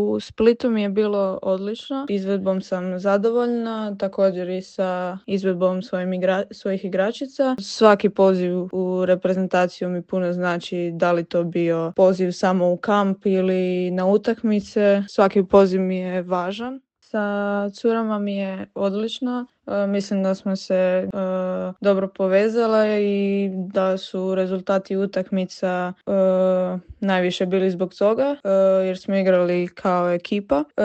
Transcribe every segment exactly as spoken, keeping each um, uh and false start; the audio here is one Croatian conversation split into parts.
U Splitu mi je bilo odlično, izvedbom sam zadovoljna, također i sa izvedbom svojim igra- svojih igračica. Svaki poziv u reprezentaciju mi puno znači, da li to bio poziv samo u kamp ili na utakmice, svaki poziv mi je važan. Sa curama mi je odlično. E, mislim da smo se e, dobro povezale i da su rezultati utakmica e, najviše bili zbog toga, e, jer smo igrali kao ekipa. E,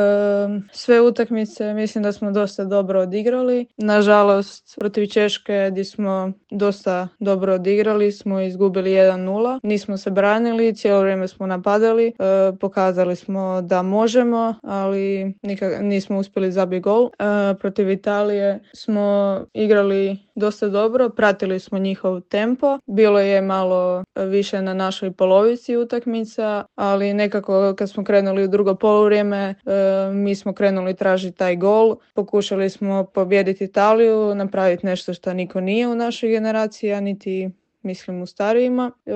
sve utakmice mislim da smo dosta dobro odigrali. Nažalost, protiv Češke gdje smo dosta dobro odigrali smo izgubili jedan nula. Nismo se branili, cijelo vrijeme smo napadali. E, pokazali smo da možemo, ali nikak, nismo uspjeli zabiti gol. E, protiv Italije smo igrali dosta dobro, pratili smo njihov tempo. Bilo je malo više na našoj polovici utakmica, ali nekako kad smo krenuli u drugo poluvrijeme, e, mi smo krenuli tražiti taj gol. Pokušali smo pobijediti Italiju, napraviti nešto što niko nije u našoj generaciji, a niti mislim u starijima. E,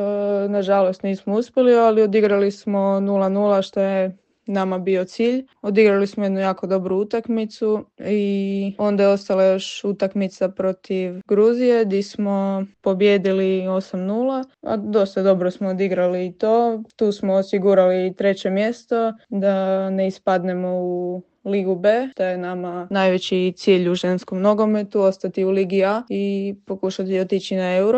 nažalost nismo uspjeli, ali odigrali smo nula nula što je nama bio cilj. Odigrali smo jednu jako dobru utakmicu i onda je ostala još utakmica protiv Gruzije gdje smo pobijedili osam nula, a dosta dobro smo odigrali i to. Tu smo osigurali treće mjesto da ne ispadnemo u Ligu B, to je nama najveći cilj u ženskom nogometu, ostati u Ligi A i pokušati otići na Euro.